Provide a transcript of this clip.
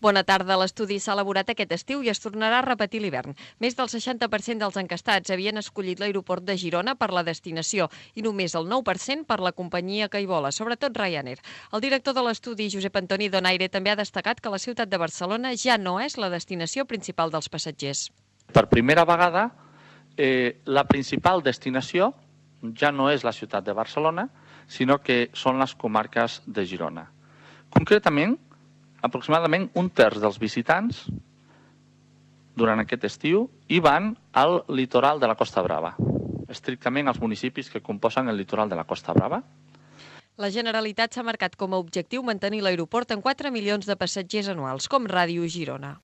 Bona tarda. L'estudi s'ha elaborat aquest estiu i es tornarà a repetir l'hivern. Més del 60% dels encastats havien escollit l'aeroport de Girona per la destinació i només el 9% per la companyia que hi vola, sobretot Ryanair. El director de l'estudi, Josep Antoni Donaire, també ha destacat que la ciutat de Barcelona ja no és la destinació principal dels passatgers. Per primera vegada, la principal destinació ja no és la ciutat de Barcelona, sinó que són les comarques de Girona. Concretament, aproximadament un terç dels visitants durant aquest estiu hi van al litoral de la Costa Brava, estrictament als municipis que composen el litoral de la Costa Brava. La Generalitat s'ha marcat com a objectiu mantenir l'aeroport en 4 milions de passatgers anuals, com Ràdio Girona.